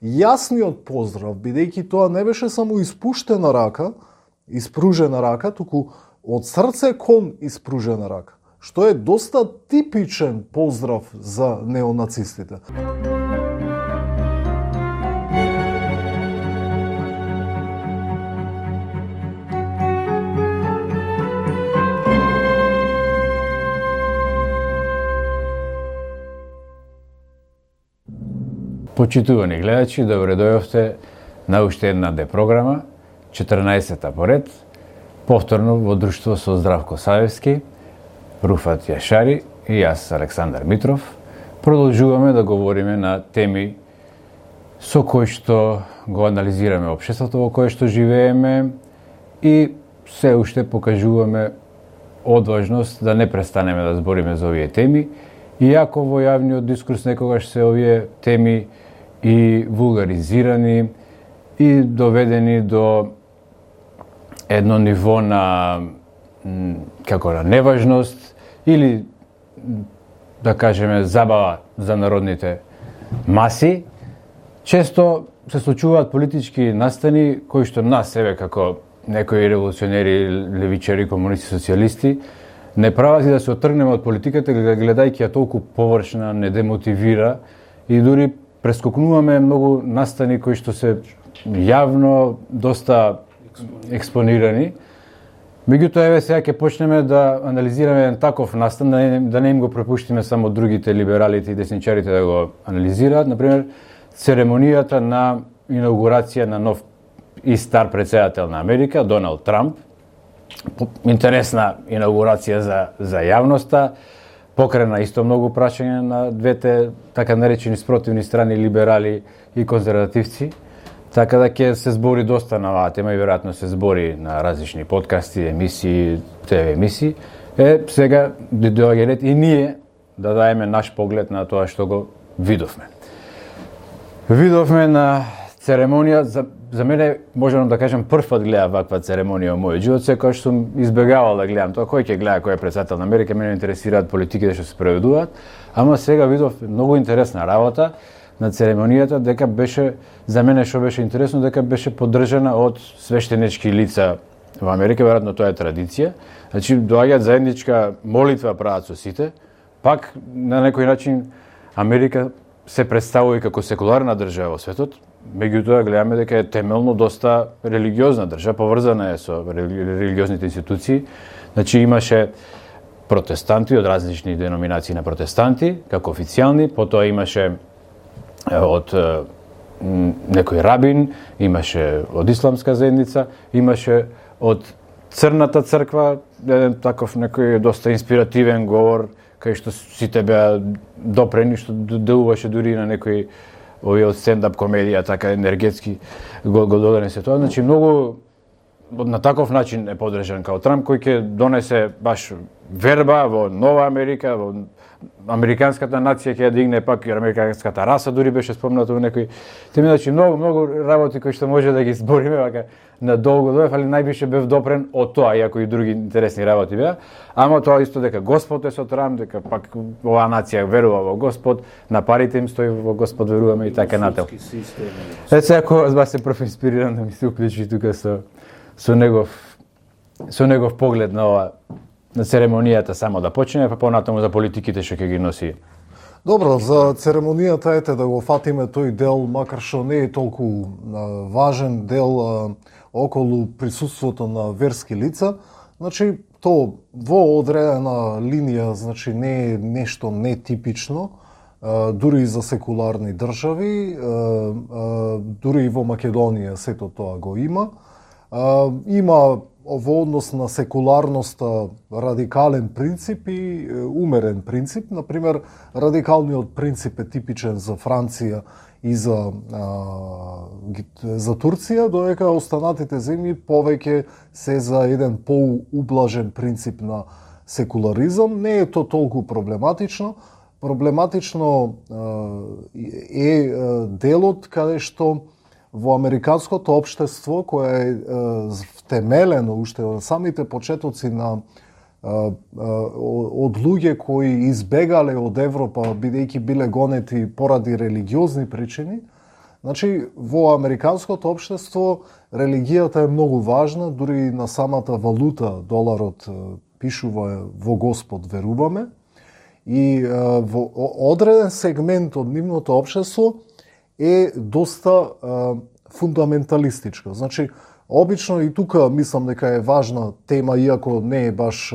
јасниот поздрав, бидејќи тоа не беше само испружена рака, туку од срце кон испружена рака, што е доста типичен поздрав за неонацистите. Почитувани гледачи, добре дојавте на уште една програма, 14-та поред, повторно во друштво со Здравко Савевски, Руфат Јашари и јас, Александар Митров. Продолжуваме да говориме на теми со кои што го анализираме општеството во кое што живееме и се уште покажуваме одважност да не престанеме да збориме за овие теми, иако во јавниот дискурс некогаш се овие теми и вулгаризирани и доведени до едно ниво на неважност или да кажеме забава за народните маси. Често се случуваат политички настани кои што нас себе како некои револуционери, левичари, комунисти, социјалисти не прават и да се отргнеме од политиката, гледајќи ја толку површна, не демотивира и дури прескокнуваме многу настани кои што се јавно доста експонирани. Меѓутоа, еве сега ќе почнеме да анализираме еден таков настан, да не им го препуштиме само другите либералите и десничарите да го анализираат. Например, церемонијата на инаугурација на нов и стар претседател на Америка, Доналд Трамп. Интересна инаугурација за јавноста, покрена исто многу прашања на двете така наречени спротивни страни, либерали и конзервативци. Така да ќе се збори доста на оваа тема и веројатно се збори на различни подкасти, емисии, ТВ емисии. Сега доаѓа ред и ние да даеме наш поглед на тоа што го видовме. Видовме на церемонија, за мене можам да кажам прв пат гледав ваква церемонија во мојот живот, секогаш сум избегавал да гледам тоа, кој ќе гледа кој е претседател на Америка, мене интересираат политиките што се проведуваат, ама сега видов многу интересна работа на церемонијата, дека беше, за мене што беше интересно, дека беше поддржана од свештенички лица во Америка, веројатно тоа е традиција. Значи, доаѓаат заедничка молитва прават со сите, пак на некој начин Америка се представува како секуларна држава во светот, меѓутоа гледаме дека е темелно доста религиозна држава, поврзана е со религиозните институции. Значи, имаше протестанти од различни деноминации на протестанти, како официјални, потоа имаше од некој рабин, имаше од исламска заедница, имаше од црната црква, еден таков некој доста инспиративен говор, кај што сите беа допрени, што делуваше дури на некој овие од стендап комедија, така енергетски го донесе тоа. Значи, многу на таков начин е поддржан као Трамп, кој ќе донесе баш верба во нова Америка, во американската нација ќе ја дигне, пак и американската раса дури беше спомнато во некој теми. Значи, многу работи кои што може да ги збориме вака на долго дојав, али највише бев допрен од тоа, иако и други интересни работи беа. Ама тоа исто дека Господ е со Трамп, дека пак оваа нација верува во Господ, на парите им стои во Господ веруваме и така натаму. Сега ако бас се прв инспириран да ми се уклучи тука со негов поглед на ова, на церемонијата само да почне, па понатаму за политиките што ќе ги носи. Добро, за церемонијата ете да го фатиме тој дел, макар што не е толку важен дел околу присуството на верски лица. Значи, то во одредена линија, значи не е нешто нетипично, дури и за секуларни држави, дури и во Македонија сето тоа го има. Има во однос на секуларноста радикален принцип и умерен принцип. Например, радикалниот принцип е типичен за Франција и за Турција, додека останатите земји повеќе се за еден поублажен принцип на секуларизам. Не е то толку проблематично. Проблематично е делот каде што во американското општество, кое е втемелено уште од самите почетоци на од луѓе кои избегале од Европа, бидејќи биле гонети поради религиозни причини, Значи, во американското општество религијата е многу важна, дури на самата валута, доларот, пишува во Господ веруваме. И во одреден сегмент од нивното општество е доста фундаменталистичка. Значи, обично и тука мислам дека е важна тема, иако не е баш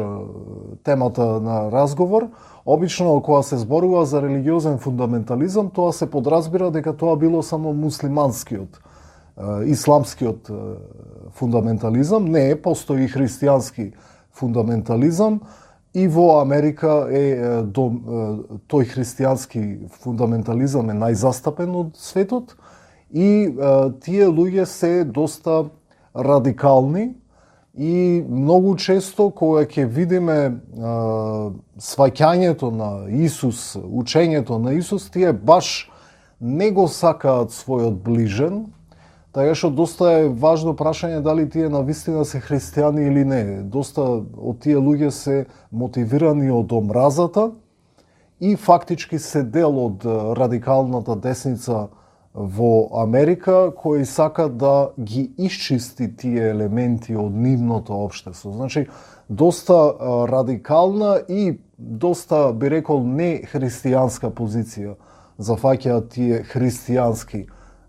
темата на разговор. Обично, кога се зборува за религиозен фундаментализам, тоа се подразбира дека тоа било само муслиманскиот, исламскиот фундаментализам. Не е, постои и христијански фундаментализам. И во Америка тој христијански фундаментализам е најзастапен од светот. И тие луѓе се доста радикални и многу често кога ќе видиме сваќањето на Исус, учењето на Исус, тие баш не го сакаат својот ближен, така што доста е важно прашање дали тие навистина се христијани или не. Доста од тие луѓе се мотивирани од омразата и фактички се дел од радикалната десница во Америка, кој сака да ги исчисти тие елементи од нивното општество. Значи, доста радикална и доста, би рекол, не христијанска позиција зафаќаат тие христијански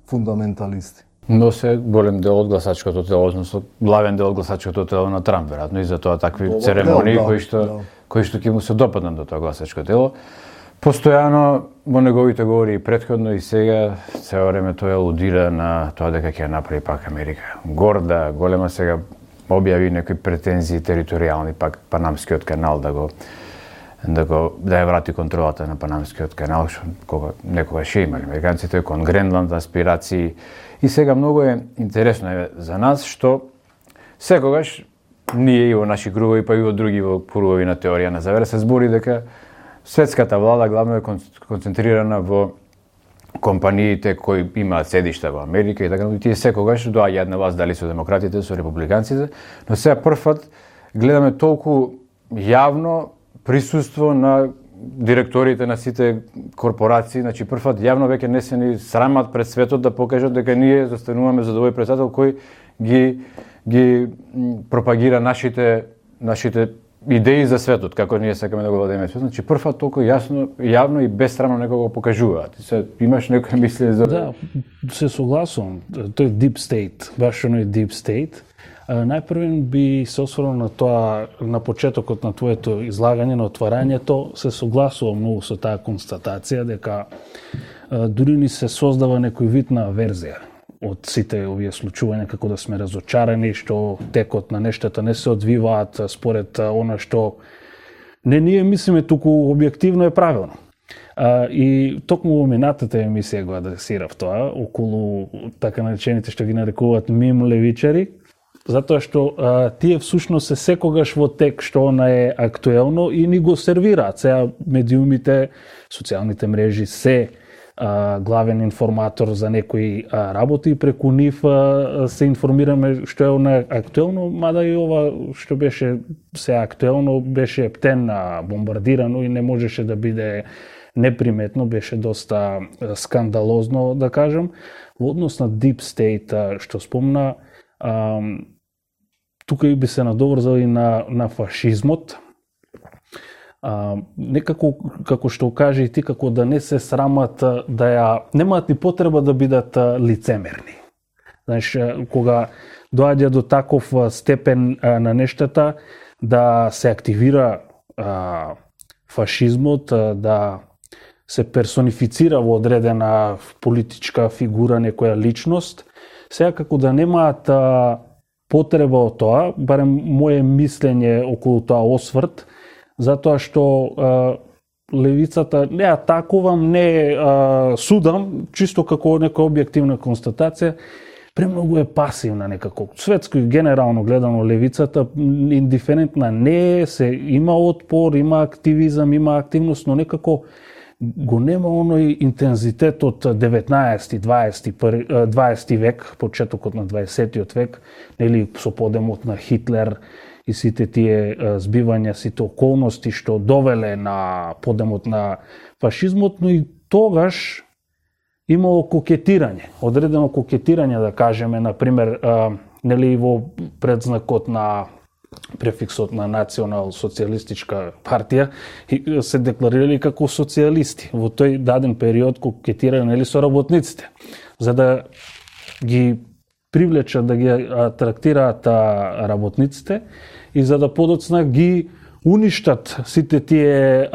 фундаменталисти. Но се голем дел од гласачкото тело, односно главен дел од гласачкото тело на Трамп, веројатно, и за тоа такви церемонии кои што ќе му се допаднат до тоа гласачко тело. Постојано во неговите говори и претходно и сега цело време тој алудира на тоа дека ќе направи пак Америка горда, голема. Сега објави некои претензии територијални, пак Панамскиот канал да ја врати контролата на Панамскиот канал, што некогаш ќе имале американците кон Гренланд, аспирации. И сега многу е интересно за нас што секогаш ние и во наши кругови, па и во други во кругови на теорија на завера се збори дека светската влада главно е концентрирана во компаниите кои имаат седишта во Америка и така, и тие секогаш доаѓаат на власт, дали со демократите, со републиканците, но сега првпат гледаме толку јавно присуство на директорите на сите корпорации, значи првпат јавно веќе не се ни срамат пред светот да покажат дека ние застануваме за овој председател кој ги пропагира нашите идеи за светот, како ние сакаме да го владееме светот. Значи првпат толку јавно и безсрамно некого покажуваат. Се имаш некој мисли за... Да, се согласувам. Тој Deep State, баш оној Deep State. Најпрвен би се осврнал на тоа, на почетокот на твоето излагање, на отварањето, се согласувам многу со таа констатација дека дури ни се создава некој вид на аверзија од сите овие случувања, како да сме разочарани што текот на нештата не се одвиваат според она што не ние мислиме, туку објективно е правилно. И токму во минатата емисија го адресирав тоа, околу така наречените што ги нарекуваат мим левичари, затоа што тие всушност се секогаш во тек што она е актуелно и ни го сервираат. Сега медиумите, социјалните мрежи се главен информатор за некои работи и преку нив се информираме што е она актуелно, мада и ова што беше се актуелно беше ептен бомбардирано и не можеше да биде неприметно, беше доста скандалозно, да кажем. Во однос на Deep State што спомна, тука и би се надоврзал и на фашизмот. Некако, како што кажа и ти, како да не се срамат, немаат ни потреба да бидат лицемерни. Знаеш, кога доаѓа до таков степен на нештата, да се активира фашизмот, да се персонифицира во одредена политичка фигура, некоја личност, сега како да немаат потреба од тоа, барем моје мислење околу тоа осврт, затоа што левицата не атакувам, не судам, чисто како нека објективна констатација, премногу е пасивна некако. Светско и генерално гледано левицата индиферентна не е, се има отпор, има активизам, има активност, но некако го нема оној интензитет од 19-20 век, почетокот на 20-тиот век, нели со подемот на Хитлер и сите тие збивања, сите околности што довеле на подемот на фашизмот, но и тогаш имало кокетирање, одредено кокетирање, да кажеме, например, нели во предзнакот на префиксот на национал-социјалистичка партија се декларирали како социјалисти. Во тој даден период кокетирале нели со работниците, за да ги привлечат, да ги атрактираат работниците и за да подоцна ги уништат сите тие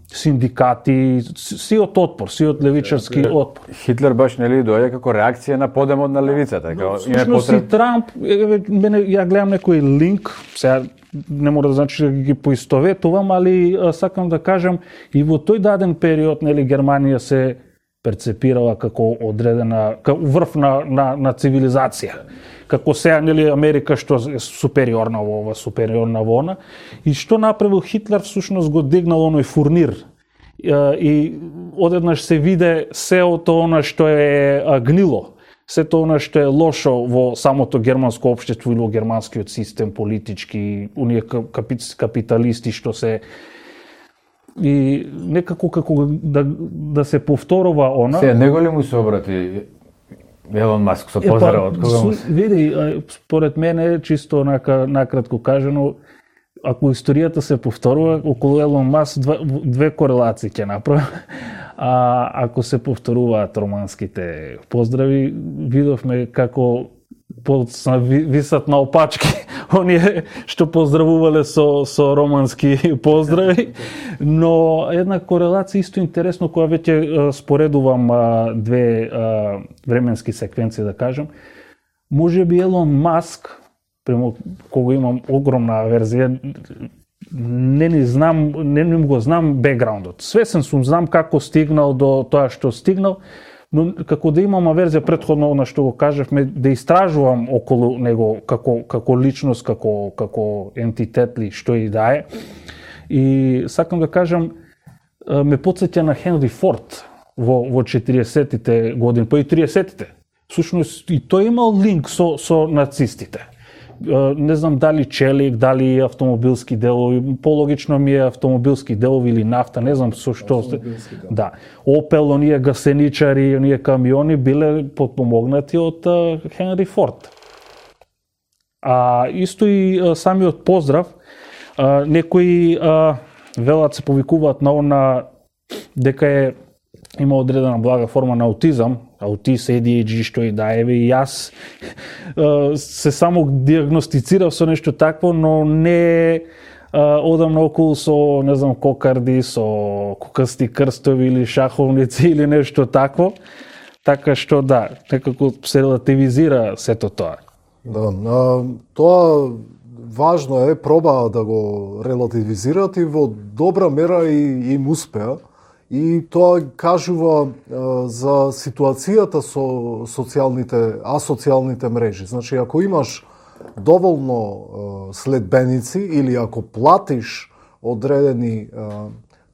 синдикати, сиот отпор, сиот левичарски отпор. Хитлер баш нели доаѓа како реакција на подемот на левицата, како всушност и Трамп, мене ја гледам некој линк, сега не мора да значи да ги поистоветувам, али сакам да кажам и во тој даден период нели Германија се перцепирала како одредена, како врв на цивилизација. Како сега нели Америка што е супериорна во ова, супериорна во она, и што направил Хитлер всушност го дигнал оној фурнир. И одеднаш се виде сеото она што е гнило, сето она што е лошо во самото германско општество или во германскиот систем политички, оние капиталисти што се и некако како да се повторува она. Се него ли му се обрати Елон Маск со поздрав од кога му? Види, според мене чисто накратко кажано, ако историјата се повторува, околу Елон Маск две корелации ќе направи. А ако се повторуваат романските поздрави, видовме како висат на опачки оние што поздравувале со романски поздрави, но една корелација исто интересно која веќе споредувам две временски секвенции, да кажем. Можеби Елон Маск, према кога имам огромна верзија, не го знам бекграундот. Свесен сум, знам како стигнал до тоа што стигнал, но како да имам верзија претходно на што го кажавме, да истражувам околу него како личност, како ентитет ли, што и да е. И сакам да кажам, ме потсеќа на Хенри Форд во 40-тите години, па и 30-тите. Всушност и тој имал линк со нацистите. Не знам дали челик, дали автомобилски делови, пологично ми е автомобилски делови или нафта, не знам со што. Да. Опел, оние гасеничари, оние камиони биле подпомогнати од Хенри Форд. Исто и самиот поздрав, некои велат се повикуваат на она дека има одредена блага форма на аутизам, аутист, ADHD, што и да еве, и јас се само диагностицирав со нешто такво, но не одам наоколу со, не знам, кокарди, со кукасти крстови или шаховници или нешто такво, така што да, некако се релативизира сето тоа. Да, тоа важно е, проба да го релативизират и во добра мера и им успеа. И тоа кажува за ситуацијата со асоцијалните мрежи. Значи, ако имаш доволно следбеници или ако платиш одредени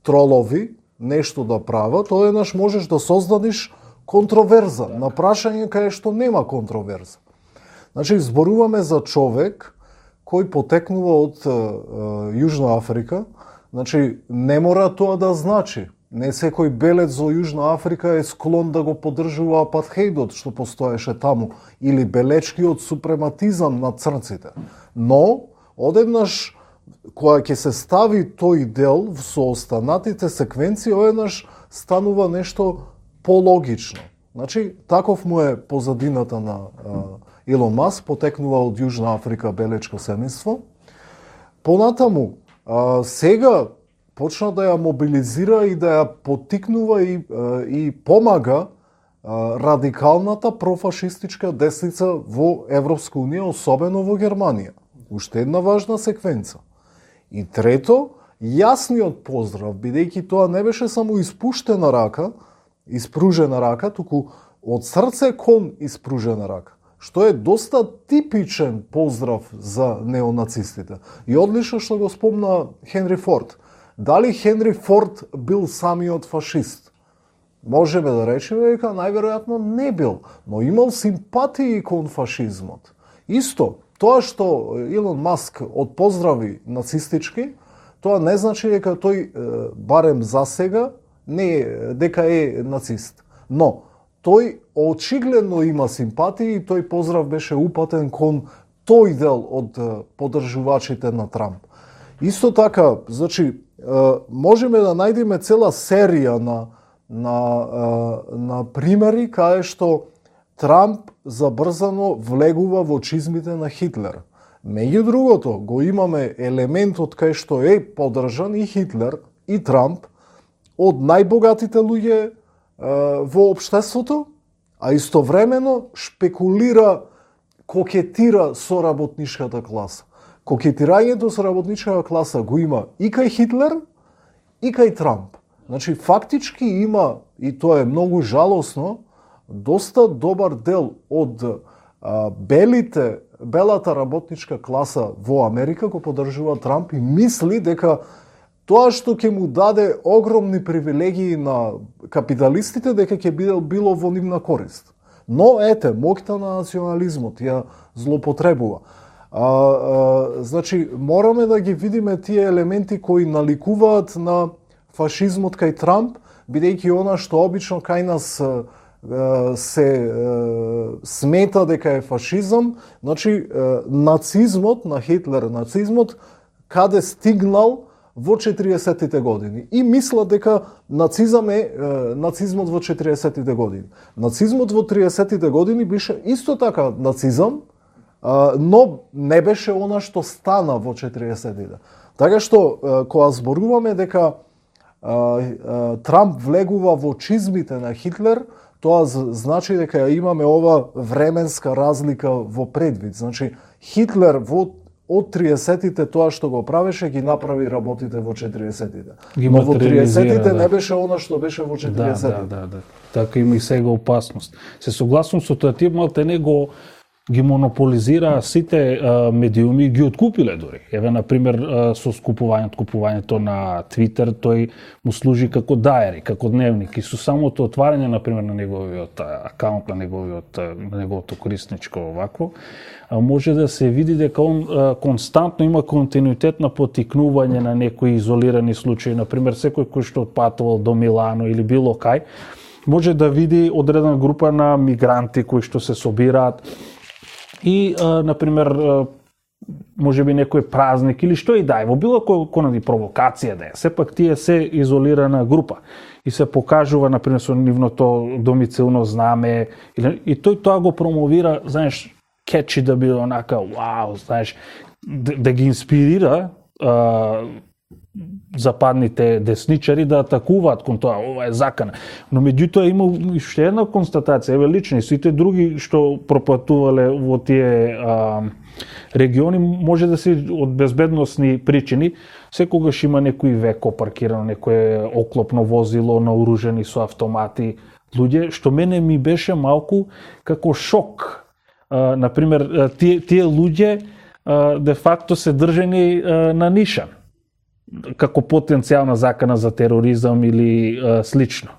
тролови нешто да прават, тоа еднаш можеш да создадиш контроверза на прашање кај што нема контроверза. Значи, зборуваме за човек кој потекнува од Јужна Африка. Значи, не мора тоа да значи. Не секој белец за Јужна Африка е склон да го поддржува апартхеидот што постоеше таму или белечкиот супрематизам на црнците. Но, одеднаш, кога ќе се стави тој дел со останатите секвенции, одеднаш станува нешто пологично. Значи, таков му е позадината на Илон Маск, потекнува од Јужна Африка белечко семејство. Понатаму, сега почна да ја мобилизира и да ја поттикнува и помага радикалната профашистичка десница во Европска унија, особено во Германија. Уште една важна секвенца. И трето, јасниот поздрав, бидејќи тоа не беше само испруžена рака, туку од срце кон испружена рака, што е доста типичен поздрав за неонацистите. И одлично што го спомна Хенри Форд. Дали Хенри Форд бил самиот фашист? Можеме да речеме дека најверојатно не бил, но имал симпатии кон фашизмот. Исто, тоа што Илон Маск отпоздрави нацистички, тоа не значи дека тој, барем за сега, дека е нацист. Но, тој очигледно има симпатии и тој поздрав беше упатен кон тој дел од поддржувачите на Трамп. Исто така, значи, можеме да најдеме цела серија на примери каде што Трамп забрзано влегува во чизмите на Хитлер. Меѓу другото, го имаме елементот кај што е поддржан и Хитлер и Трамп од најбогатите луѓе во општеството, а истовремено шпекулира, кокетира со работничката класа. Кокетирањето со работничката класа го има и кај Хитлер, и кај Трамп. Значи, фактички има, и тоа е многу жалосно, доста добар дел од белата работничка класа во Америка го поддржува Трамп и мисли дека тоа што ќе му даде огромни привилегии на капиталистите, дека ќе било во нивна корист. Но, ете, моќта на национализмот ја злоупотребува. Значи, мораме да ги видиме тие елементи кои наликуваат на фашизмот кај Трамп, бидејќи она што обично кај нас се смета дека е фашизам, значи нацизмот на Хитлер, нацизмот каде стигнал во 40-тите години. И мислат дека нацизам е нацизмот во 40-тите години. Нацизмот во 30-тите години беше исто така нацизам, но не беше она што стана во 40-тите. Така што, кога зборуваме дека Трамп влегува во чизмите на Хитлер, тоа значи дека имаме ова временска разлика во предвид. Значи, Хитлер од 30-тите тоа што го правеше, ги направи работите во 40-тите. Но во 30-тите не беше она што беше во 40-тите. Да. Така има и сега опасност. Се согласувам со тоа, тие малте него ги монополизира сите медиуми, ги откупиле дори. Еве, например, со купувањето на Твитер, тој му служи како дајери, како дневник. И со самото отварање, например, на неговиот акаунт, на неговото корисничко овакво, може да се види дека он константно има континуитет на поттикнување на некои изолирани случаи. Например, секој кој што патувал до Милано или било кај, може да види одредена група на мигранти кои што се собираат и, например, може би некој празник или што и да е, во било кој провокација да е. Сепак тие се изолирана група и се покажува, например, со нивното домицилно знаме и тој тоа го промовира, знаеш, кетчи да биде онака, вау, знаеш, да ги инспирира западните десничари да атакуваат кон тоа, ова е закана. Но меѓутоа има уште една констатација, еве лично, и сите други што пропатувале во тие региони, може да се од безбедносни причини, секогаш има некој веко паркирано, некое оклопно возило наоружени со автомати луѓе, што мене ми беше малку како шок. Например, тие луѓе де факто се држени на нишан, како потенцијална закана за тероризам или слично.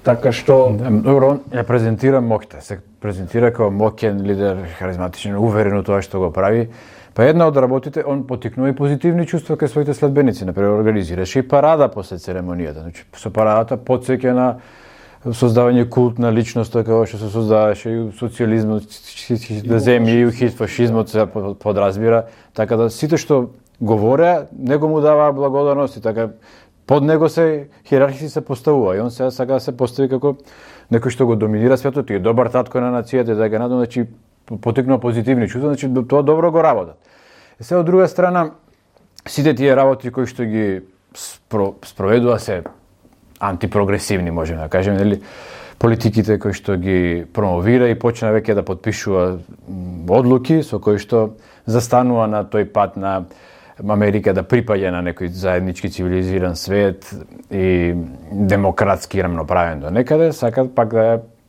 Така што... Добро, он ја презентира моќта, се презентира како моќен лидер, харизматичен, уверен во тоа што го прави. Па една од работите, он поттикнува и позитивни чувства кај своите следбеници, например, организираше и парада после церемонијата. Значи, со парадата потсеќа на создавање култ на личноста, како што се создаваше и социјализмот, да земји и фашизмот се подразбира, така да сите што говореа, него му даваа благодарност и така под него се хиерархиски се поставува и он сега сака да се постави како некој што го доминира светот и е добар татко на нацијата и така натаму, значи поттикнува позитивни чувства, значи тоа добро го работат. И сега од друга страна сите тие работи кои што ги спроведува се антипрогресивни, можеме да кажеме, нели, политиките кои што ги промовира и почна веќе да потпишува одлуки со кои што застанува на тој пат на Америка да припаѓа на некој заеднички цивилизиран свет и демократски рамноправен до некаде, сакат пак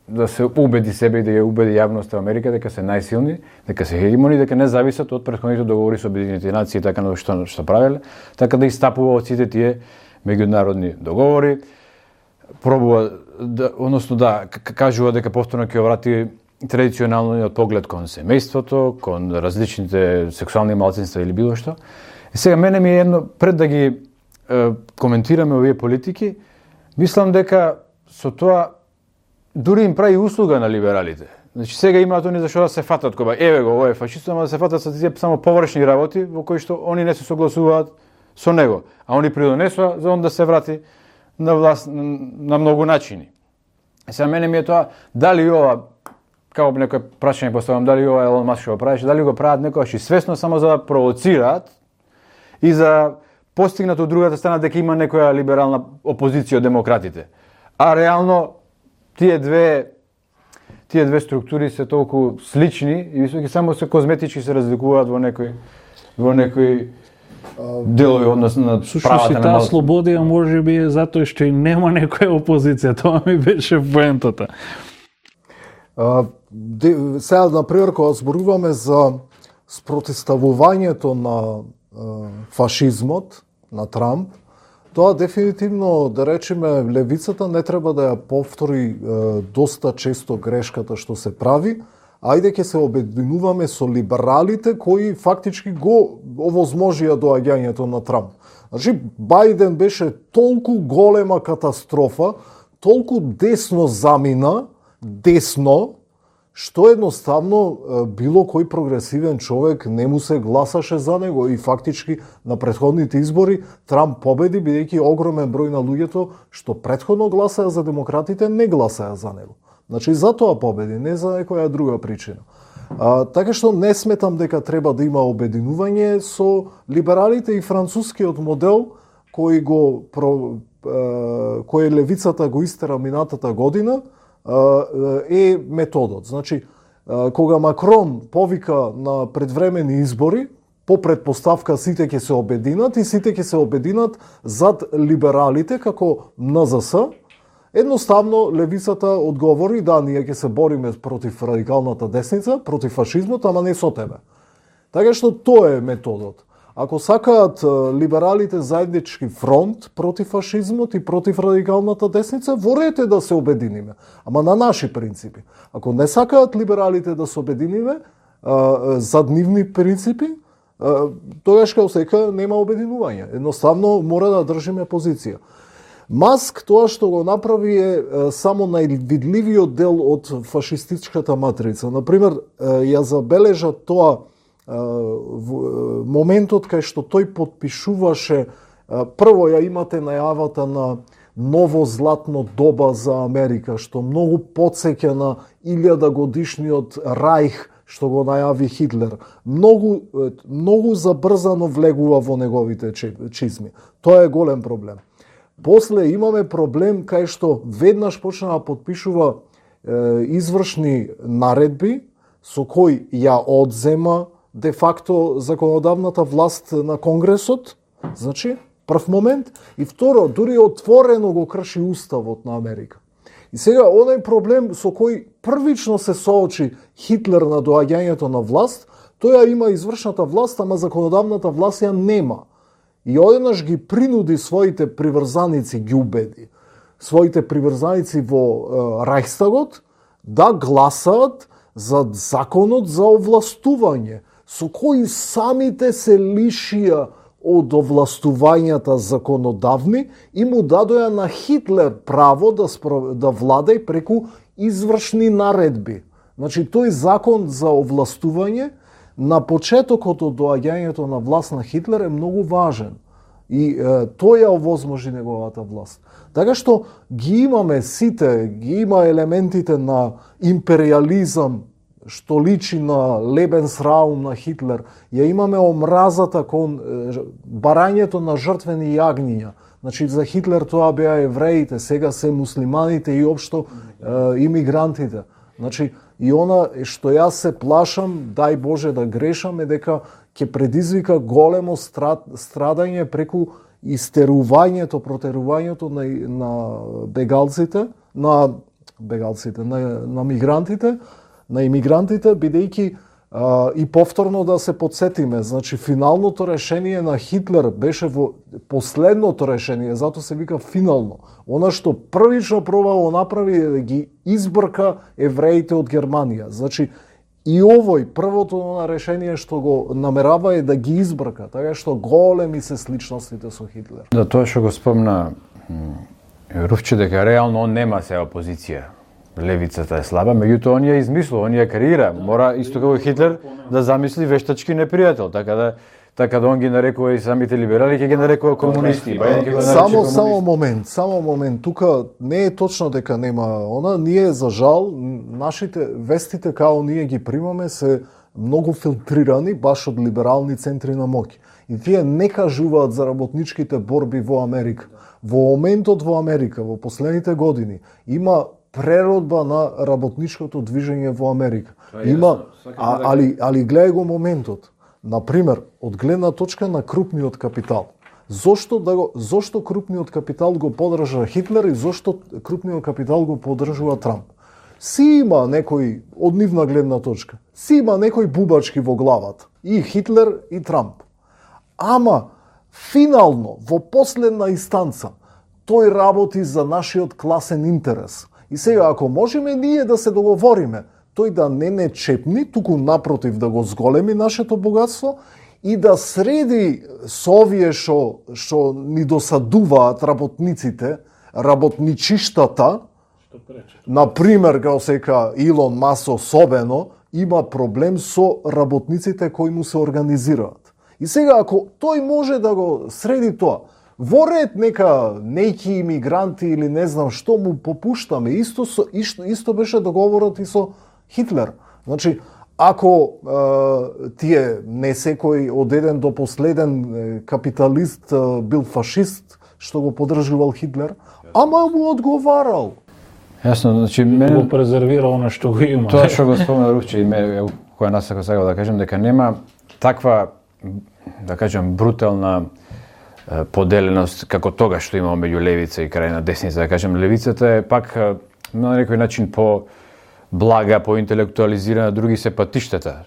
да се убеди себе и да ја убеди јавноста Америка дека се најсилни, дека се хегемони, дека не зависат од претходните договори со Обединетите нации и така на што правеле, така да истапува од сите тие меѓународни договори, пробува кажува дека повторно ќе врати традиционалниот поглед кон семејството, кон различните сексуални малцинства или било што. И сега мене ми е едно, пред да ги коментираме овие политики, мислам дека со тоа дури им прави услуга на либералите. Значи сега имаат они зашто да се фатат кога еве го овој фашист, ама да се фатат со тие само површни работи во кои што они не се согласуваат со него, а они придонесува за он да се врати на власт на многу начини. Сега мене ми е тоа дали ова, како некој прашање поставам, дали ова Елон Маск што го правеше, дали го прават некогаш и свесно само за да провоцираат и за постигнат од другата страна дека има некоја либерална опозиција од демократите. А реално тие две структури се толку слични и високи, само се козметички се разликуваат во некои делови однос на правата на таа слободија можеби е затоа што и нема некоја опозиција, тоа ми беше поентата. Сега, например, кога зборуваме за спротивставувањето на фашизмот, на Трамп, тоа дефинитивно, да речеме, левицата не треба да ја повтори доста често грешката што се прави. Ајде ќе се обединуваме со либералите кои фактички го овозможија доаѓањето на Трамп. Значи, Бајден беше толку голема катастрофа, толку десно замина, што едноставно било кој прогресивен човек не му се гласаше за него и фактички на претходните избори Трамп победи бидејќи огромен број на луѓето што претходно гласаа за демократите не гласаа за него. Значи затоа победи, не за некоја друга причина. Така што не сметам дека треба да има обединување со либералите и францускиот модел кој левицата го истера минатата година е методот. Значи, кога Макрон повика на предвремени избори, по предпоставка сите ќе се обединат и сите ќе се обединат зад либералите како НЗС, едноставно левицата одговори да, ние ќе се бориме против радикалната десница, против фашизмот, ама не со тебе. Така што тоа е методот. Ако сакаат либералите заеднички фронт против фашизмот и против радикалната десница, ворете да се обединиме, ама на наши принципи. Ако не сакаат либералите да се обединиме зад нивни принципи, тогаш као сека нема обединување. Едноставно мора да држиме позиција. Маск тоа што го направи е само највидливиот дел од фашистичката матрица. Например, ја забележа тоа моментот кај што тој потпишуваше, прво ја имате најавата на ново златно доба за Америка, што многу потсеќа на 1000-годишниот Рајх што го најави Хитлер. Многу забрзано влегува во неговите чизми. Тоа е голем проблем. После имаме проблем кај што веднаш почна да потпишува извршни наредби со кои ја одзема де факто законодавната власт на Конгресот, значи, прв момент, и второ, дури отворено го крши Уставот на Америка. И сега, оној проблем со кој првично се соочи Хитлер на доаѓањето на власт, тоја има извршната власт, ама законодавната власт ја нема. И одеднаш ги принуди своите приврзаници, ги убеди, своите приврзаници во Рајхстагот да гласаат за законот за овластување, со кои самите се лишија од овластувањата законодавни и му дадоја на Хитлер право да владај преку извршни наредби. Значи, тој закон за овластување на почетокот од доаѓањето на власт на Хитлер е многу важен. И тој ја овозможи неговата власт. Така што ги имаме сите, ги има елементите на империализам, што личи на Лебенсраум на Хитлер, ја имаме омразата кон барањето на жртвени јагниња. Значи, за Хитлер тоа беа евреите, сега се муслиманите и општо имигрантите. Значи, и она што јас се плашам, дај Боже да грешам, е дека ќе предизвика големо страдање преку истерувањето, протерувањето на бегалците, на мигрантите, на имигрантите, бидејќи и повторно да се подсетиме, значи финалното решение на Хитлер беше во последното решение, затоа се вика финално. Она што првично пробало направи е да ги избрка евреите од Германија. Значи и овој првото решение што го намерава е да ги избрка, така што големи се сличностите со Хитлер. Да, тоа што го спомна Руфче, дека реално он нема сега опозиција. левицата е слаба, меѓутоа он ја измислува, он ја креира. Мора исто како Хитлер да замисли вештачки непријател, така да он ги нарекува и самите либерали, ќе ги нарекува комунисти. Само момент, тука не е точно дека нема она, ние за жал нашите вестите као ние ги примаме се многу филтрирани баш од либерални центри на моќ. И тие не кажуваат за работничките борби во Америка. Во моментот во Америка, во последните години, има преродба на работничкото движење во Америка. Има, али гледај го моментот. Например, од гледна точка на крупниот капитал. Зошто крупниот капитал го поддржа Хитлер и зошто крупниот капитал го поддржува Трамп? Си има некој, од нивна гледна точка, си има некој бубачки во главата. И Хитлер и Трамп. Ама, финално, во последна инстанца, тој работи за нашиот класен интерес. И сега, ако можеме ние да се договориме, тој да не чепни, туку напротив да го зголеми нашето богатство и да среди со овие што ни досадуваат работниците, работничиштата, например, као сека Илон Маск особено, има проблем со работниците кои му се организираат. И сега, ако тој може да го среди тоа, во ред нека неки имигранти или не знам што му попуштаме, исто беше договорот и со Хитлер. Значи, ако тие не секој од еден до последен капиталист бил фашист, што го поддржувал Хитлер, ама му одговарал. Јасно, значи го презервирал на што го има. Тоа што го спомена Рувче и која насака сакав да кажем дека нема таква, да кажем, брутална поделеност како тога што имamo меѓу левица и крајна десница, да кажем, левицата е пак на некој начин по блага, по интелектуализирана, други се патиштата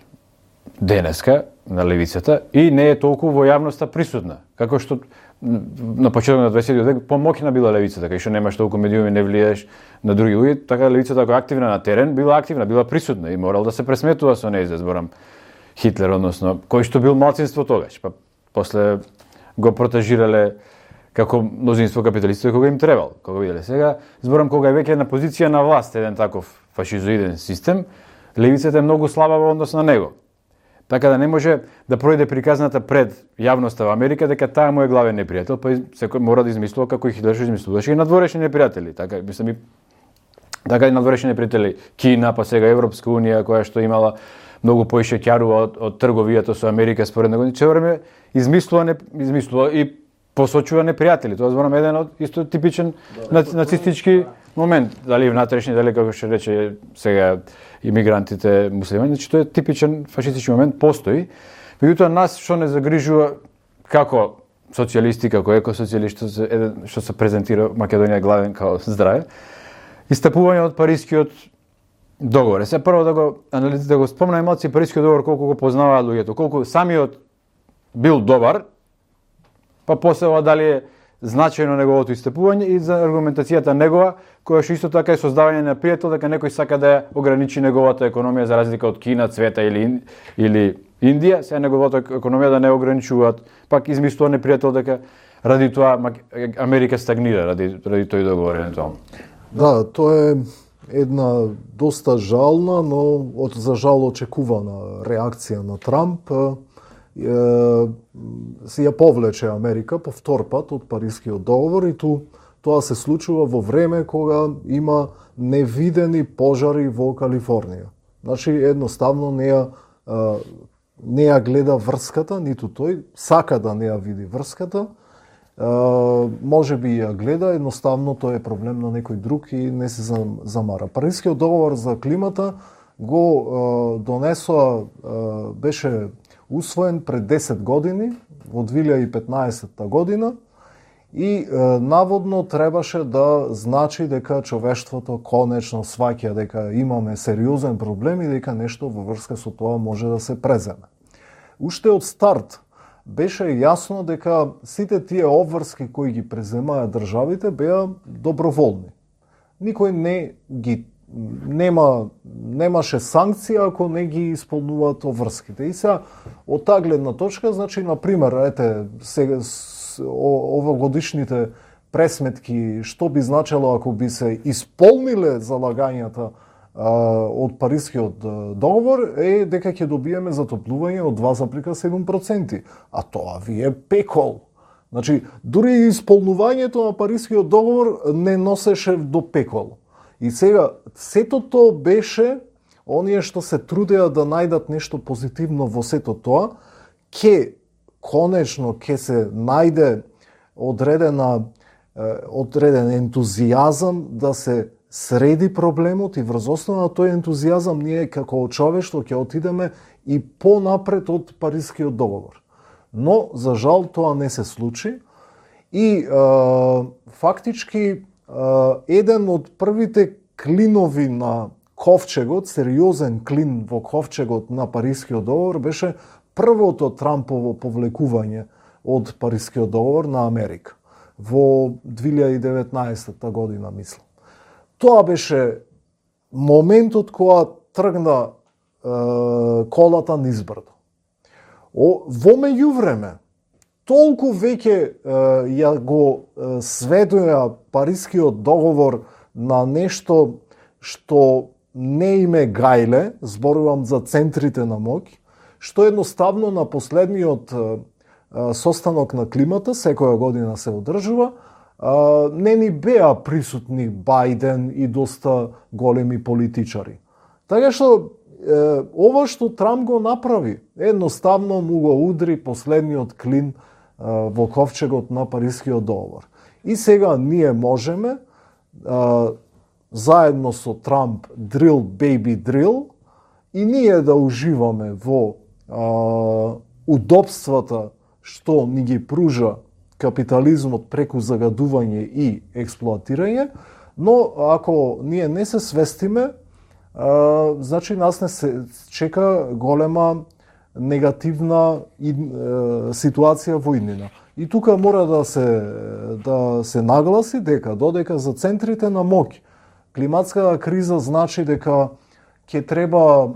денеска на левицата и не е толку во јавноста присутна, како што на почетокот на 20 век помоќна била левицата, кај што немаш толку медиуми, не влиеш на други луѓе, така левицата ако активна на терен, била активна, била присутна и морал да се пресметува со неј, зборам Хитлер, односно, кој што бил малцинство тогаш, па после го протежирале како мнозинство капиталисти кога им требал, кога виделе. Сега, зборам, кога е веќе на позиција на власт еден таков фашизоиден систем, левицата е многу слаба во однос на него. Така да не може да пројде приказната пред јавноста во Америка дека таа му е главен непријател, па секој мора да измислува како и Хитлер што измислуваше и надворешни непријатели. Така, мислам, така и надворешни непријатели Кина, па сега Европска унија, која што имала многу поише ќарува од трговијата со Америка според него, че време измислува и посочува непријатели. Тоа зборам еден од исто типичен нацистички момент, дали внатрешни, дали како што рече сега имигрантите муслимани, значи тоа е типичен фашистички момент, постои. Меѓутоа нас што не загрижува како социјалисти, како екосоцијалисти, што се презентира Македонија главен као здраве, истапување од Парискиот договор. Се прво да го спомнам малци Парискиот договор, колку го познаваат луѓето, колку самиот бил добар, па после ова дали е значајно неговото истапување и за аргументацијата негова, која што исто така е создавање на пријател дека некој сака да ја ограничи неговата економија за разлика од Кина, Цвета или Индија, сега неговата економија да не ограничуваат, пак измислува непријател дека ради тоа Америка стагнира ради тој договор евентуално. Да, тоа е една доста жална, но за жал очекувана реакција на Трамп. Се ја повлече Америка по втор пат од Парискиот договор и тоа се случува во време кога има невидени пожари во Калифорнија. Значи, едноставно не ја гледа врската, ниту тој сака да не ја види врската. Може би ја гледа, едноставно тоа е проблем на некој друг и не се замара. Парискиот договор за климата го донесоа, беше усвоен пред 10 години, во 2015 година, и наводно требаше да значи дека човештвото конечно сваќа дека имаме сериозен проблем и дека нешто во врска со тоа може да се преземе. Уште од старт беше јасно дека сите тие обврски кои ги преземаа државите беа доброволни. Никој немаше санкција ако не ги исполнуваат обврските. И сега од таа гледна точка, значи, на пример, овогодишните пресметки што би значело ако би се исполниле залагањата од Парискиот договор е дека ќе добиеме затоплување од 2,7%, а тоа ви е пекол. Значи, дури исполнувањето на Парискиот договор не носеше до пекол. И сега, сето тоа беше, оние што се трудеа да најдат нешто позитивно во сето тоа, конечно ќе се најде одреден ентузијазам да се среди проблемот и врз основа на тој ентузијазам ние како човештво ќе отидеме и понапред од Парискиот договор. Но, за жал, тоа не се случи и фактички еден од првите клинови на ковчегот, сериозен клин во ковчегот на Парискиот договор беше првото Трампово повлекување од Парискиот договор на Америка во 2019 година, мислам. Тоа беше моментот кога тргна колата низ брдо. Во меѓувреме, толку веќе ја го сведоја Парискиот договор на нешто што не име гајле, зборувам за центрите на моќ, што едноставно на последниот состанок на климата, секоја година се одржува, не ни беа присутни Бајден и доста големи политичари. Така што ова што Трамп го направи, едноставно му го удри последниот клин во ковчегот на Парискиот договор. И сега ние можеме заедно со Трамп drill baby drill и ние да уживаме во удобствата што ни ги пружа капитализмот преку загадување и експлоатирање, но ако ние не се свестиме, значи нас не се чека голема негативна ситуација во иднина. И тука мора да се нагласи дека додека за центрите на моќ климатската криза значи дека ќе треба,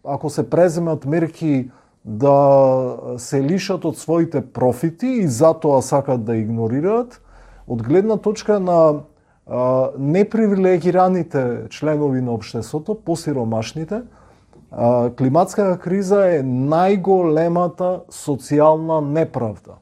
ако се преземат мерки, да се лишат од своите профити и затоа сакат да игнорираат, од гледна точка на непривилегираните членови на општеството, посиромашните, климатската криза е најголемата социјална неправда.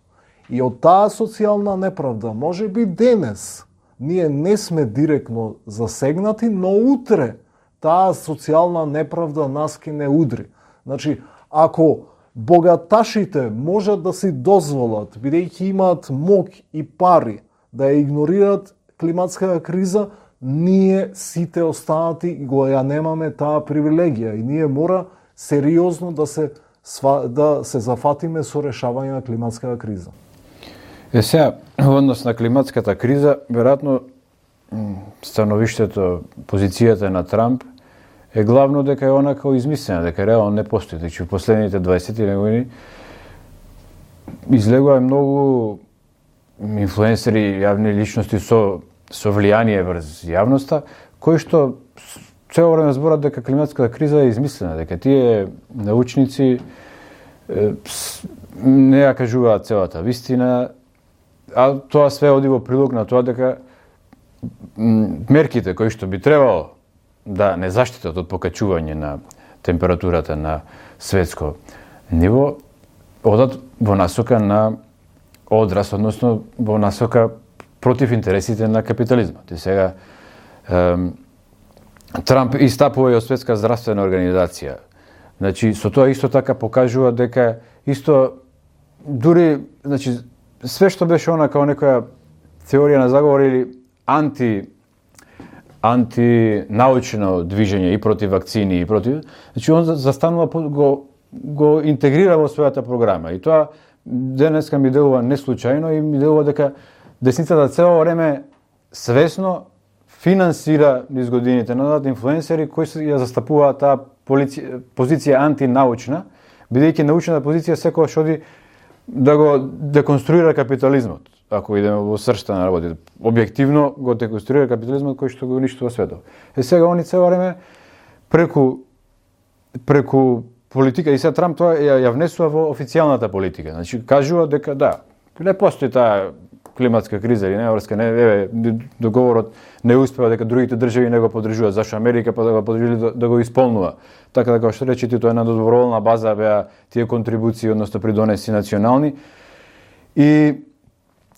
И од таа социјална неправда, може би денес, ние не сме директно засегнати, но утре таа социјална неправда нас ќе не удри. Значи, ако богаташите можат да си дозволат, бидејќи имаат моќ и пари, да ја игнорираат климатската криза, ние сите останати го ја немаме таа привилегија и ние мора сериозно да се зафатиме со решавање на климатската криза. Сега, во однос на климатската криза, веројатно становиштето, позицијата на Трамп е главно дека е онака измислена, дека реално не постои. Значи, во последните 20 години излегува многу инфлуенсери, јавни личности со влијание врз јавноста, кои што цело време зборат дека климатската криза е измислена, дека тие научници не ја кажуваат целата вистина, а тоа све оди во прилог на тоа дека мерките кои што би требало да не заштитат од покачување на температурата на светско ниво, одат во насока на одраз, односно во насока против интересите на капитализмот. И сега Трамп истапува и од Светска здравствена организација. Значи, со тоа исто така покажува дека исто дури, значи, све што беше она као некоја теорија на заговор или антинаучно движење и против вакцини и против, значи он застанува го интегрира во својата програма. И тоа денеска ми делува неслучајно и ми делува дека десницата цело време свесно финансира низ годините назад инфлуенсери кои ја застапуваат таа позиција антинаучна, бидејќи научната позиција секогаш оди да го деконструира капитализмот. Ако идеме во сршта на работите, објективно го деконструира капитализмот кој што го уништува светот. Сега они цело време преку политика, и сега Трамп тоа ја внесува во официјалната политика. Значи кажува дека да, не постои таа климатска криза или не врска, не договорот не успева дека другите држави не го поддржуваат, зашто Америка па да го поддржи да го исполнува. Така да, како што речете, тоа е една доброволна база беа тие контрибуции, односно придонеси национални. И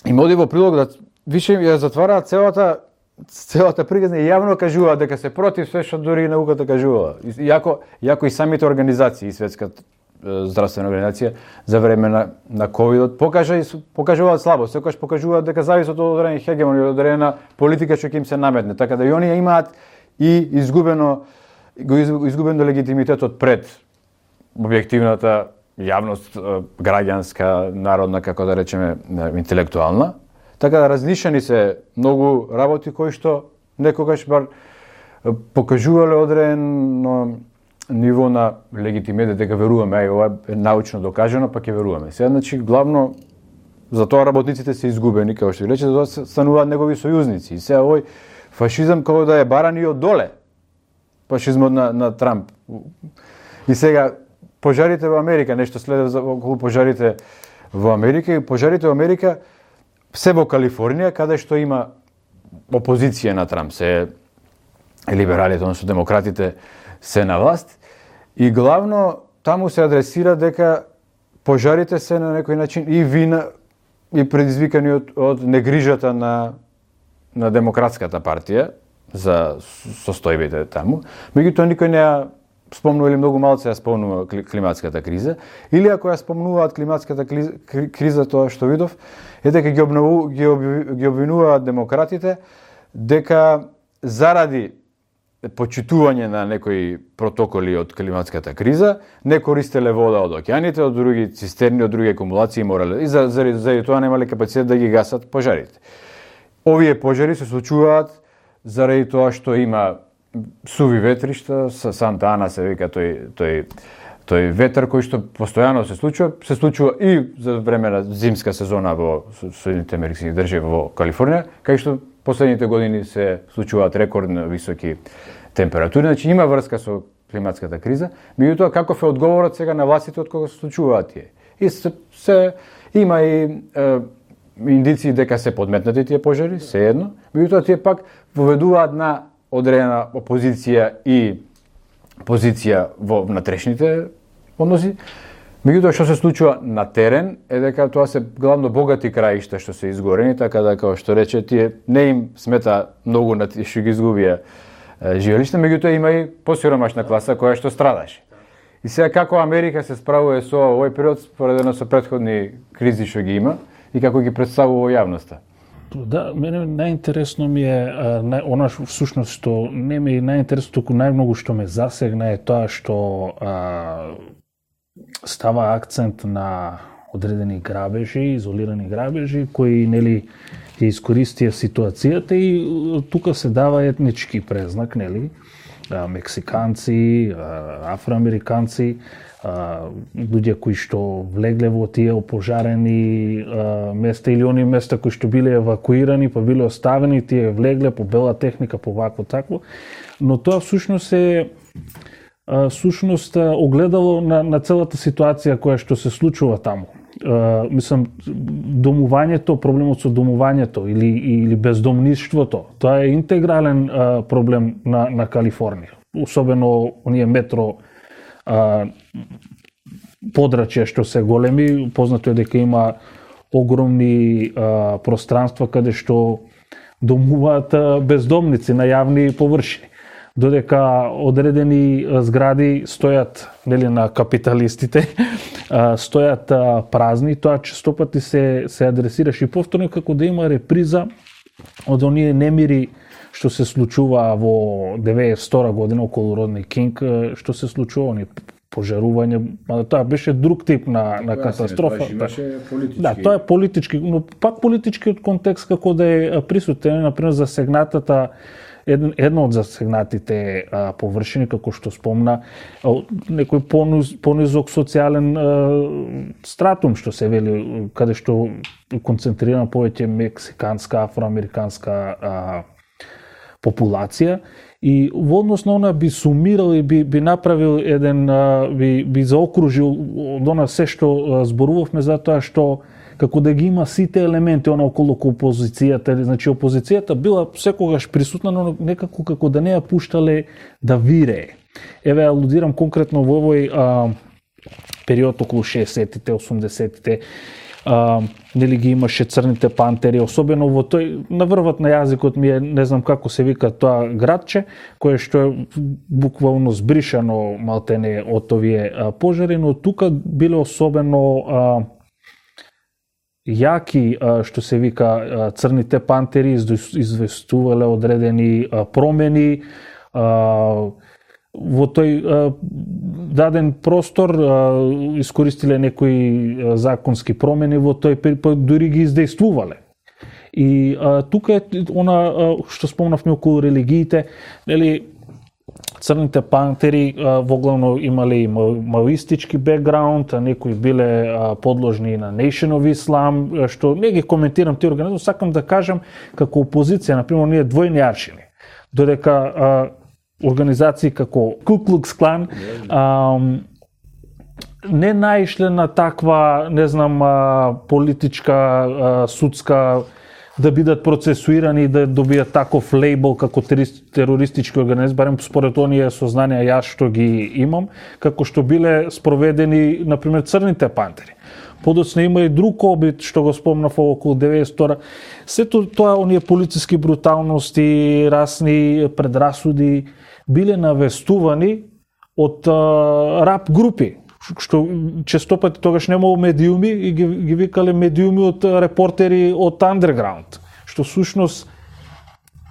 им оди во прилог да више ја затвараат целата приказна и јавно кажуваат дека се против све што дури и науката кажува. Иако и самите организации, и Светската здравствена организација за време на ковидот покажуваат слабост, секогаш покажуваат дека зависат од одреден хегемон или одредена политика што ќе им се наметне, така да и оние имаат и изгубено легитимитетот пред објективната јавност, граѓанска, народна, како да речеме, интелектуална. Така да различени се многу работи кои што некогаш бар покажувале одредено ниво на легитимитет дека веруваме, ај ова е научно докажано, па ќе веруваме. Сега, значи, главно за тоа работниците се изгубени, како што ви рече, за тоа стануваат негови сојузници. И сега овој фашизам како да е баран и од доле. Фашизмот на Трамп. И сега пожарите во Америка, нешто следува околу пожарите во Америка, и пожарите во Америка се во Калифорнија, каде што има опозиција на Трамп, се либералите, односно демократите се на власт, и главно таму се адресира дека пожарите се на некој начин и вина и предизвикани од негрижата на Демократската партија за состојбите таму. Меѓутоа никој не ја спомнува или многу малце ја спомнува климатската криза, или ако ја спомнуваат климатската криза, тоа што видов е дека ги обвинуваат демократите дека заради почитување на некои протоколи од климатската криза не користеле вода од океаните, од други цистерни, од други акумулации морале и заради тоа немале капацитет да ги гасат пожарите. Овие пожари се случуваат заради тоа што има суви ветришта, Санта Ана се вика тој ветер кој што постојано се случува и за време на зимска сезона во Соединетите Американски држави во Калифорнија, кај што последните години се случуваат рекордно високи температури, значи има врска со климатската криза, меѓутоа каков е одговорот сега на властите од кога се случуваат тие. И има и индици дека се подметнати тие пожари, се едно, меѓутоа тие пак воведуваат на одредена опозиција и позиција во внатрешните односи. Меѓутоа што се случува на терен е дека тоа се главно богати краишта што се изгорени, така да како што рече тие не им смета многу на тие што ги изгубија живелишта, меѓутоа има и посиромашна класа која што страдаше. И сега како Америка се справува со овој период споредено со претходни кризи што ги има и како ги представува во јавноста? Да, мене најинтересно ми е она всушност што не ми е најинтересно, туку најмногу што ме засегна е тоа што става акцент на одредени грабежи, изолирани грабежи кои нели ќе искористија ситуацијата и тука се дава етнички презнак, нели? Мексиканци, афроамериканци, луѓе кои што влегле во тие опожарени места или они места кои што биле евакуирани, па биле оставени, тие влегле по бела техника, по вако такво, но тоа всушност е огледало на целата ситуација која што се случува таму. Мислам, домувањето, проблемот со домувањето или бездомништвото, тоа е интегрален проблем на Калифорнија. Особено оние метро подрачја што се големи, познато е дека има огромни пространства каде што домуваат бездомници на јавни површини. Додека одредени згради стојат нели на капиталистите, стојат празни, тоа честопати се адресираш и повторно како да има реприза од оние немири што се случува во 92 година околу Родни Кинг, што се случува оние пожарување, тоа беше друг тип на катастрофа. Да, тоа е политички, но пак политичкиот контекст како да е присутен, например засегнатата едно од засегнатите површини, како што спомна, некој понизок социјален стратум, што се вели, каде што концентрирана повеќе мексиканска, афроамериканска популација. И во однос на она би сумирал и би направил би заокружил од она се што зборувавме за тоа што како да ги има сите елементи околу опозицијата. Значи опозицијата била секогаш присутна, но некако како да не ја пуштале да вирее. Еве алудирам конкретно во овој период околу 60-тите, 80-тите. Нели ги имаше Црните пантери, особено во тој, наврват на јазикот ми е, не знам како се вика тоа градче, кое што е буквално збришано малтене од овие пожари, но тука биле особено јаки, што се вика Црните пантери, известувале одредени промени, во тој даден простор искористиле некои законски промени во тој период, дури ги издействувале. И тука е она што спомнавме околу религиите, нели Црните пантери воглавно имале и маоистички бекграунд, а некои биле подложни на Nation of Islam, што не ги коментирам тие организми, сакам да кажам како опозиција, например, ние двојни аршини, додека организации како Ku Klux Klan не наишле на таква, не знам, политичка, судска, да бидат процесуирани и да добијат таков лейбл како терористички организми, барем според оние сознанија јас што ги имам, како што биле спроведени, например, Црните пантери. Подоцна има и друг обид, што го спомнав околу 92-та. Сето тоа, оние полициски бруталности, расни предрасуди, биле навестувани од рап групи, што честопати тогаш немало медиуми и ги викале медиуми од репортери од андерграунд, што сушност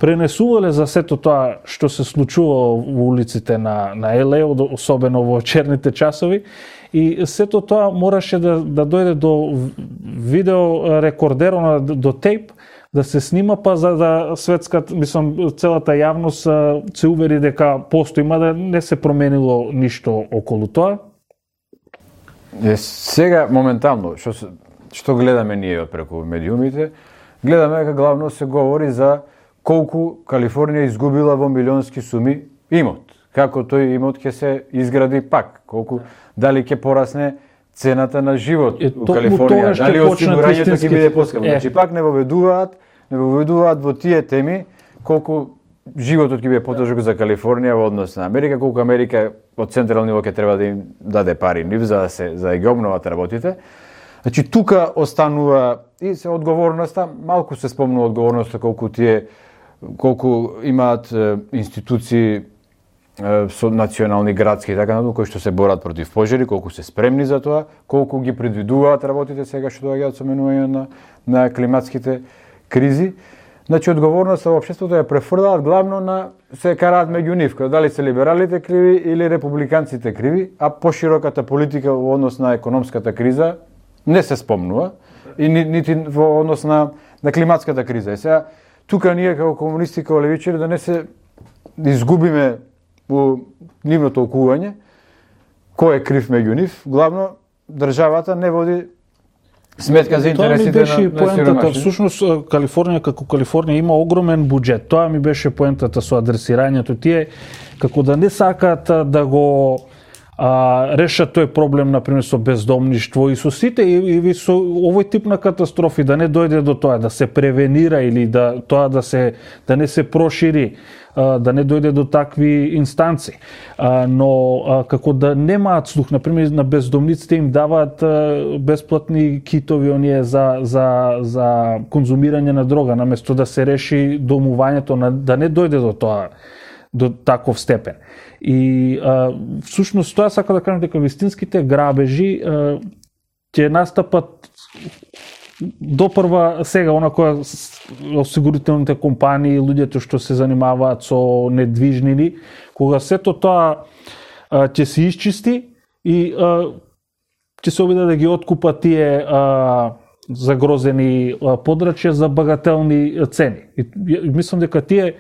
пренесувале за сето тоа што се случува во улиците на ЛА, особено во черните часови, и сето тоа мораше да дојде до видео рекордерона, до тейп, да се снима, па за да светската, мислам, целата јавност се увери дека постои, има да не се променило ништо околу тоа. Сега, моментално, што гледаме ние преку медиумите, гледаме дека главно се говори за колку Калифорнија изгубила во милионски суми имот. Како тој имот ќе се изгради пак, колку, дали ќе порасне цената на живот у Калифорнија, дали осигурањето ќе биде поскапо. Значи пак не воведуваат во тие теми колку животот ќе биде потежок за Калифорнија во однос на Америка, колку Америка од централно ниво ќе треба да им даде пари нив за да ги обноват работите. Значи тука останува и се одговорноста, малку се спомнува одговорноста колку имаат институции со национални, градски и така натаму, кои што се борат против пожари, колку се спремни за тоа, колку ги предвидуваат работите сега што доаѓаат со менување на климатските кризи. Значи одговорноста во општеството ја префрлаат главно на се караат меѓу нив, дали се либералите криви или републиканците криви, а пошироката политика во однос на економската криза не се спомнува и нити во однос на климатската криза. И сега тука ние како комунисти, како левичари да не се изгубиме во нивно толкување, кој е крив меѓу нив, главно државата не води сметка за интересите на сиромашни. Всушност, Калифорнија како Калифорнија има огромен буџет. Тоа ми беше поентата со адресирањето. Тие како да не сакаат да го решат тој проблем, например, со бездомништво и со сите и со овој тип на катастрофи, да не дојде до тоа, да се превенира или да тоа да не се прошири, да не дојде до такви инстанци. Но како да немаат слух, например, на бездомниците им даваат бесплатни китови оние за конзумирање на дрога, наместо да се реши домувањето, да не дојде до тоа, до таков степен. И всушност тоа сака да кажам дека вистинските грабежи ќе настапат допрва сега, она која осигурителните компании, луѓето што се занимаваат со недвижнини, кога сето тоа ќе се исчисти и ќе се обиде да ги откупат тие загрозени подрачја за багателни цени. И мислам дека тие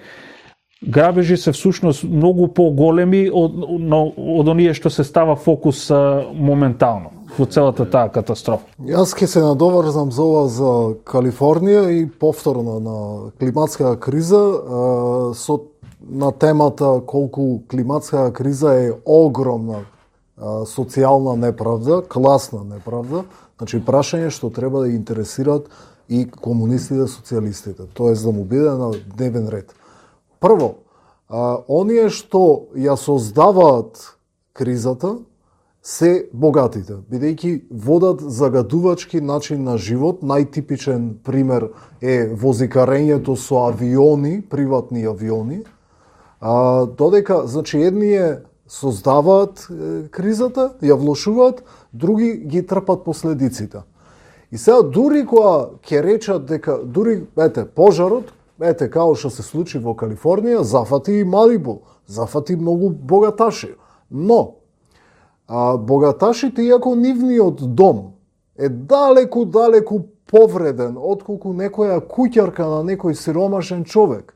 грабежи се всушност многу поголеми од оние што се става фокус моментално во целата таа катастрофа. Јас ќе се надоврзам за ова за Калифорнија и повторно на климатска криза на темата колку климатска криза е огромна социјална неправда, класна неправда, значи прашање што треба да интересираат и комунистите, социјалистите, тоест да му биде на дневен ред. Прво, оние што ја создаваат кризата се богатите, бидејќи водат загадувачки начин на живот. Најтипичен пример е возикарењето со авиони, приватни авиони, додека, значи, едни создаваат кризата, ја влошуваат, други ги трпат последиците. И сега дури кога ќе речат дека дури пожарот, као што се случи во Калифорнија, зафати и Малибу, зафати многу богаташи. Но богаташите, иако нивниот дом е далеку повреден отколку некоја куќарка на некој сиромашен човек,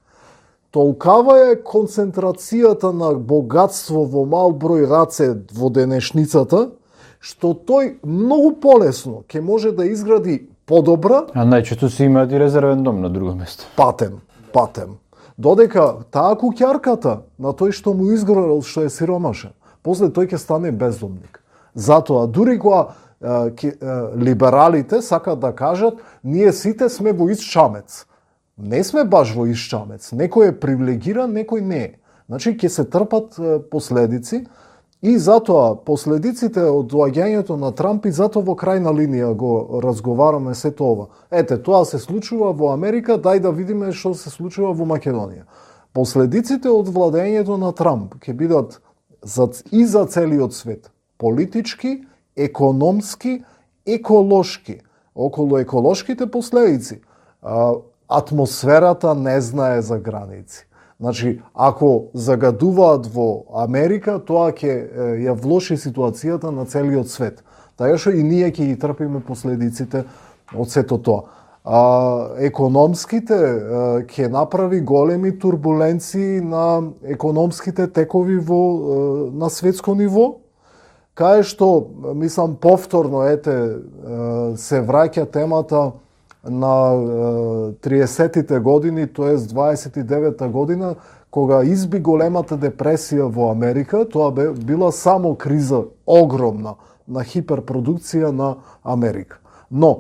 толкава е концентрацијата на богатство во мал број раце во денешницата, што тој многу полесно ќе може да изгради подобра. А најчесто си имаат и резервен дом на друго место. Патем. Додека таа куќарката на тој што му изгорел, што е сиромашен, после тој ќе стане бездомник. Затоа, дури кога либералите сакат да кажат, ние сите сме во ист чамец. Не сме баш во ист чамец. Некој е привилегиран, некој не е. Значи, ќе се трпат последици и затоа последиците од доаѓањето на Трамп и затоа во крајна линија го разговараме сето ова. Тоа се случува во Америка, дај да видиме што се случува во Македонија. Последиците од владењето на Трамп ќе бидат и за целиот свет. Политички, економски, еколошки. Околу еколошките последици, атмосферата не знае за граници. Значи, ако загадуваат во Америка, тоа ќе ја влоши ситуацијата на целиот свет. Така што и ние ќе ги трпиме последиците од сето тоа. Економските ќе направи големи турбуленции на економските текови на светско ниво, кај што, мислам, повторно се враќа темата на 30-тите години, тоест 29-та година, кога изби големата депресија во Америка. Тоа била само криза огромна на хиперпродукција на Америка. Но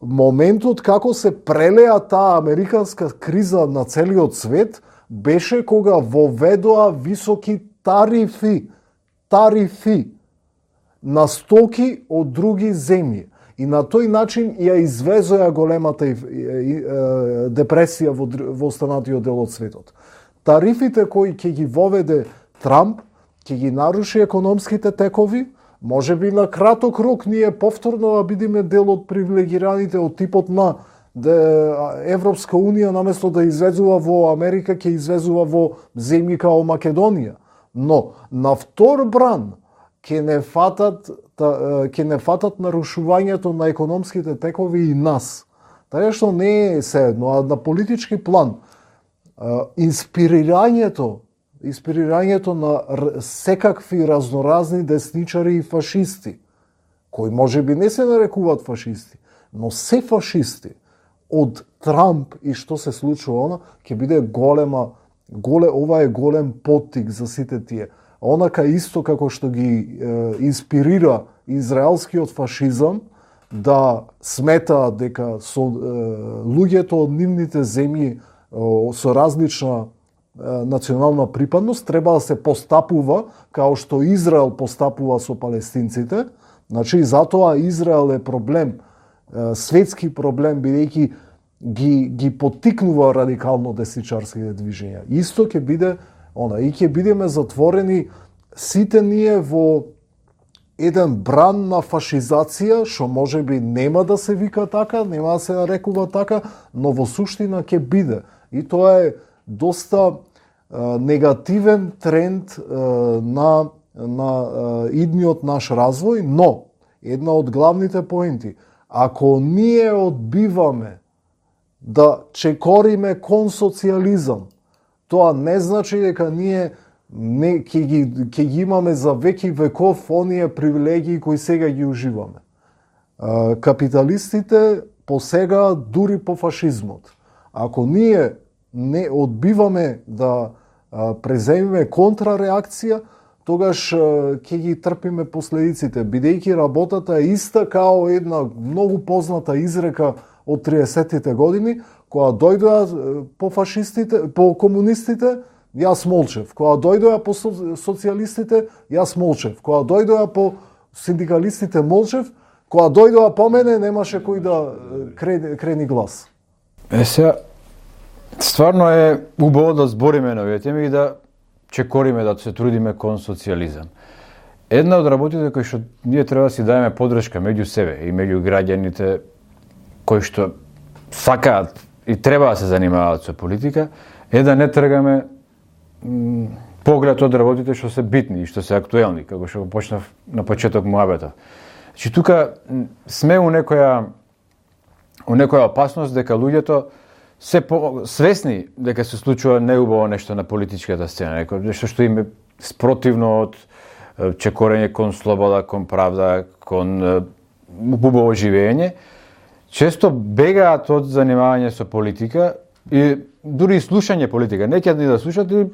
моментот како се прелеа таа американска криза на целиот свет беше кога воведоа високи тарифи на стоки од други земји. И на тој начин ја извезоа големата депресија во останатиот дел од светот. Тарифите кои ќе ги воведе Трамп, ќе ги наруши економските текови. Може би на краток рок ние повторно да бидеме дел од привилегираните од типот на Европска Унија, наместо да извезува во Америка, ќе извезува во земји као Македонија. Но на втор бран ќе не фатат нарушувањето на економските текови и нас. Така што не е седно, а на политички план инспирирањето на секакви разноразни десничари и фашисти, кои може би не се нарекуваат фашисти, но се фашисти, од Трамп и што се случува, ќе биде ова е голем поттик за сите тие. Онака исто како што ги инспирира израелскиот фашизам да сметаат дека луѓето од нивните земји со различна национална припадност треба да се постапува као што Израел постапува со палестинците. Значи, затоа Израел е проблем, светски проблем, бидејќи ги поттикнува радикално десничарските движења. Исто ќе биде и ќе бидеме затворени сите ние во еден бран на фашизација, што може би нема да се вика така, нема да се нарекува така, но во суштина ќе биде. И тоа е доста негативен тренд на идниот наш развој, но една од главните поенти, ако ние одбиваме да чекориме кон социјализам, тоа не значи дека ние ќе ги имаме за веки веков оние привилегии кои сега ги уживаме. Капиталистите посега дури по фашизмот. Ако ние не одбиваме да преземиме контрареакција, тогаш ќе ги трпиме последиците, бидејќи работата е иста као една многу позната изрека од 30-тите години, кога дојдоа по фашистите, по комунистите, јас молчев. Кога дојдоа по социјалистите, јас молчев. Кога дојдоа по синдикалистите, молчев. Кога дојдоа по мене, немаше кој да крени глас. Сега, стварно е убаво да збориме на овие теми и да чекориме, да се трудиме кон социјализам. Една од работите кои што ние треба да си даеме подршка меѓу себе и меѓу граѓаните кои што сакаат и треба да се занимаваат со политика, е да не тргаме поглед од работите што се битни и што се актуелни, како што почнав на почеток муабета. Значи тука сме у некоја опасност дека луѓето се свесни дека се случува неубаво нешто на политичката сцена, нешто што им е спротивно од чекорење кон слобода, кон правда, кон убаво живење, често бегаат од занимавање со политика и дури и слушање политика. Не ќе да слушат и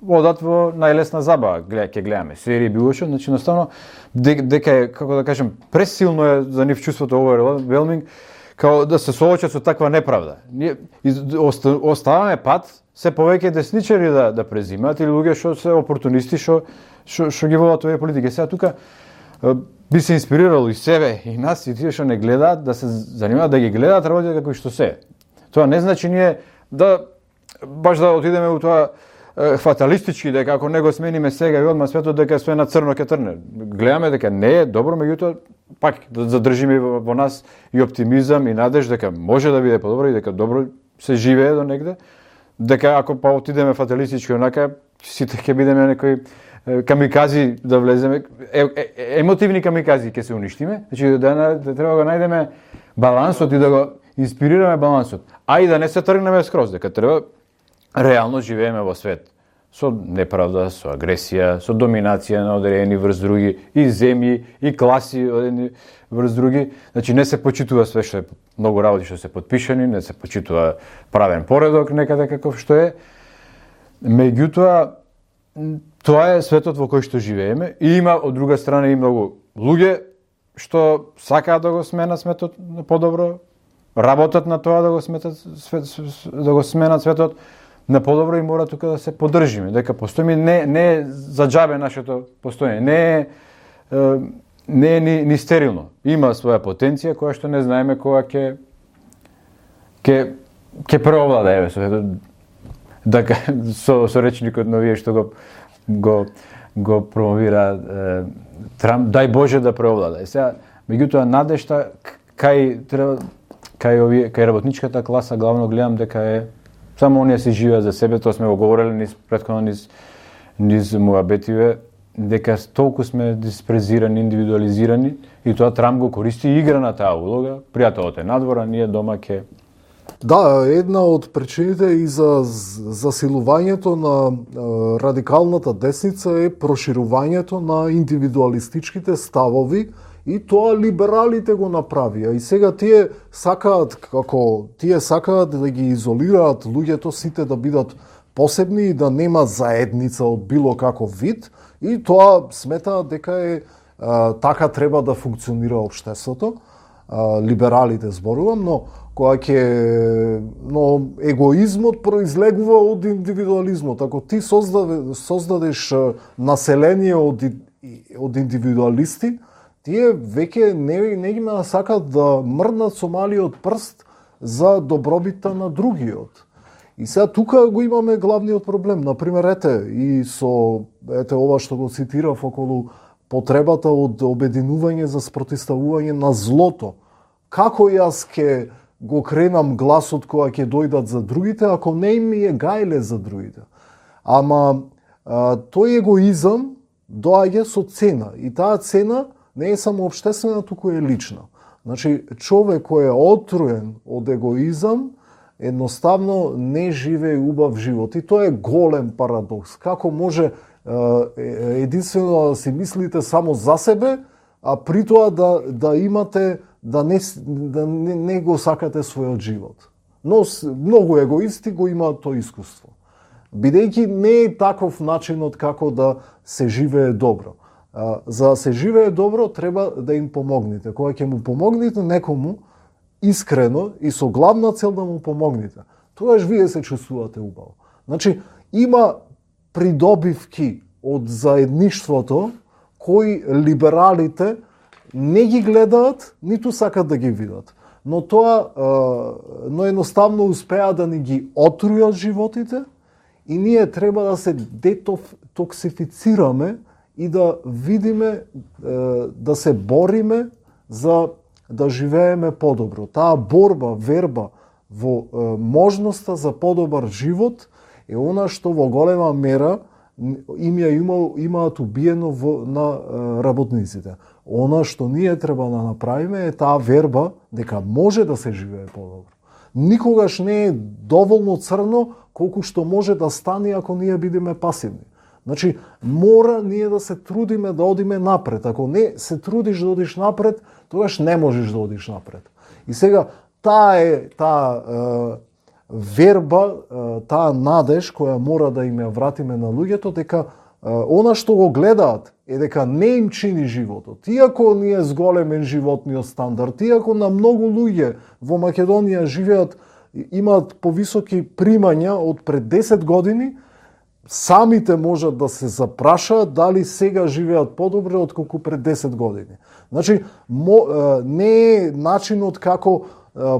одат во најлесна забава, ќе гледаме серии, било што, значи наставно дека е, како да кажем, пресилно е за нив чувството overwhelming, као да се соочат со таква неправда. Ние оставаме пат се повеќе десничари да презимаат или луѓе што се опортунисти што ги водат овие политики. Сега тука би се инспирирало и себе и нас и тие што не гледаат да се занимаваат да ги гледаат работите како што се. Тоа не значи ние да баш да отидеме у тоа фаталистички, дека ако не го смениме сега и одма светот, дека све на црно ќе трне. Гледаме дека не е добро, меѓутоа пак да задржиме во нас и оптимизам и надеж дека може да биде подобро и дека добро се живее до негде, дека ако па отидеме фаталистички онака, сите ќе бидеме некои камикази да влеземе, емотивни камикази ќе се уништиме, значи да треба да најдеме балансот и да го инспирираме балансот, а и да не се тргнеме скроз, дека треба реално живееме во свет со неправда, со агресија, со доминација на одредени врз други, и земји, и класи одредени врз други. Значи не се почитува све што е многу работи што се подпишани, не се почитува правен поредок некаде каков што е. Меѓутоа, тоа е светот во кој што живееме и има од друга страна и многу луѓе што сакаат да го сменат светот на подобро, работат на тоа да го сменат светот на подобро и мора тука да се поддржиме, дека постоиме, не е за џабе нашето постоење, не е ни стерилно. Има своја потенција која што не знаеме кога ќе преовлада, еве, со речникот на овие што го промовира Трамп, дај Боже да преовлада. Сега, меѓутоа надежта кај работничката класа главно гледам дека е само оние се живеат за себе, тоа сме го говореле претходно низ муабетиве, дека толку сме диспрезирани, индивидуализирани и тоа Трамп го користи и игра на таа улога. Пријателот е надвора, ние дома ке... Да, една од причините и за засилувањето на радикалната десница е проширувањето на индивидуалистичките ставови и тоа либералите го направија. И сега тие сакаат да ги изолираат луѓето, сите да бидат посебни и да нема заедница од било каков вид, и тоа сметаат дека е така треба да функционира општеството. Либералите зборувам, но егоизмот произлегува од индивидуализмот. Ако ти создадеш население од индивидуалисти, тие веќе не ги сакат да мрднат со малиот прст за добробитта на другиот. И сега тука го имаме главниот проблем. Например, ете ова што го цитирав околу потребата од обединување за спротивставување на злото. Како јас ќе го кренам гласот кога ќе дојдат за другите, ако не им е гајле за другите? Ама тој егоизам доаѓа со цена. И таа цена не е само општествена, туку е лична. Значи, човек кој е отруен од егоизам, едноставно не живее убав живот. И тоа е голем парадокс. Како може единствено да си мислите само за себе, а при тоа да имате, да не го сакате својот живот. Но многу егоисти го имаат тоа искуство. бидејќи не е таков начинот како да се живее добро. За да се живее добро, треба да им помогнете. Кога ќе му помогнете некому, искрено и со главна цел да му помогнете, тогаш вие се чувствувате убаво. Значи, има придобивки од заедништвото кои либералите не ги гледаат, ниту сакат да ги видат. Но едноставно успеа да ни ги отрујат животите и ние треба да се детоксифицираме и да видиме, да се бориме за да живееме подобро. Таа борба, верба во можноста за подобар живот е она што во голема мера имаат убиено на работниците. Она што ние треба да направиме е таа верба дека може да се живее подобро. Никогаш не е доволно црно колку што може да стане ако ние бидеме пасивни. Значи, мора ние да се трудиме да одиме напред. Ако не се трудиш да одиш напред, тогаш не можеш да одиш напред. И сега, таа верба, таа надеж која мора да им ја вратиме на луѓето, дека она што го гледаат е дека не им чини животот. Иако ние зголемен животниот стандард, иако на многу луѓе во Македонија живеат, имаат повисоки примања од пред 10 години, самите можат да се запрашаат дали сега живеат подобро отколку пред 10 години. Значи, не е начинот како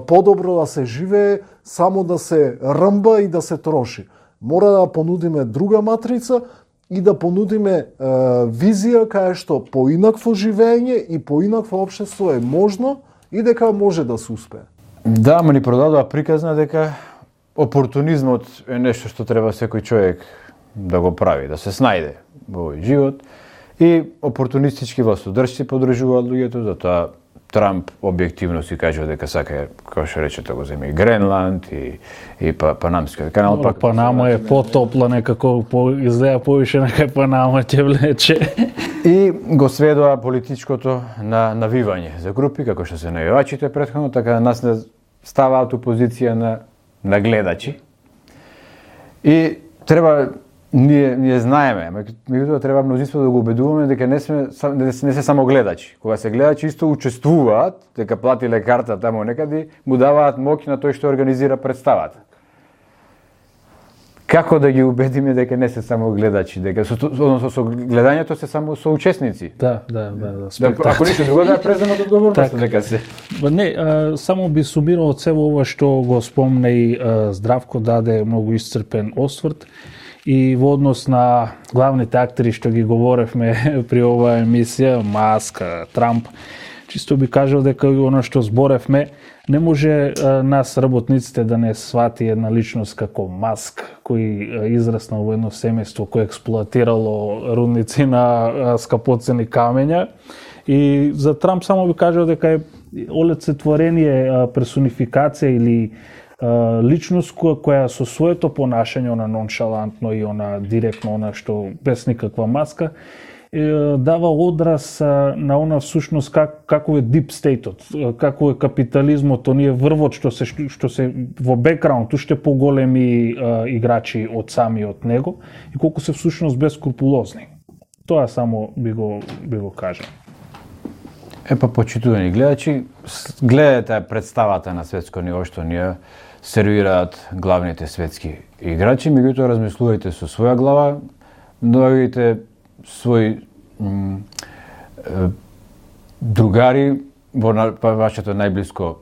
подобро да се живее само да се рмба и да се троши. Мора да понудиме друга матрица и да понудиме визија кај што поинакво живење и поинакво општество е можно и дека може да се успее. Да, ма ни продадува приказна дека опортунизмот е нешто што треба секој човек да го прави, да се снајде во овој живот и опортунистички властодржци подржуваат луѓето, затоа Трамп објективно си кажува дека сака, како што речете, го земи Гренланд и Панамскиот канал. Панама е потопла некако, изгледа повише нека Панама ќе влече. И го сведува политичкото на навивање за групи, како што се навивачите претходно, така да нас не ставаат у позиција на гледачи. И треба ние знаеме, меѓутоа треба мнозинство да го убедуваме дека не се само гледачи. Кога се гледачи исто учествуваат, дека платиле карта таму некаде, му даваат моќ на тој што организира представата. Како да ги убедиме дека не се само гледачи, дека со гледањето се само соучесници? Да. Ако ништо друго да преземат одговорност дека се. Не, само би сумирал од себе ова што го спомна и Здравко даде многу исцрпен осврт. И во однос на главните актери што ги говоревме при оваа емисија, Маска, Трамп, чисто би кажал дека оно што зборевме, не може нас работниците да не свати една личност како Маск, кој израснал во едно семејство кој експлоатирало рудници на скапоцени камења. И за Трамп само би кажал дека е олицетворение, персонификација или личност која со своето понашање, она ноншалантно и она директно, она што без никаква маска, дава одраз на она всушност како е deep state-от, како е капитализмот, оние врвот што се во бекграунд, уште поголеми играчи од самиот него и колку се всушност бескрупулозни. Тоа само би го кажал. Почитувани гледачи, гледате представата на светско ниво што ние сервираат главните светски играчи, меѓутоа размислувајте со своја глава, наоѓајте свои другари во вашето најблиско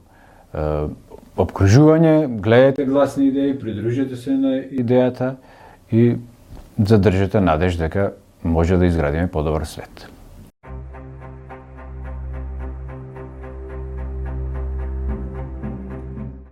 обкружување, гледајте гласни идеи, придружете се на идејата и задржете надеж дека може да изградиме подобар свет.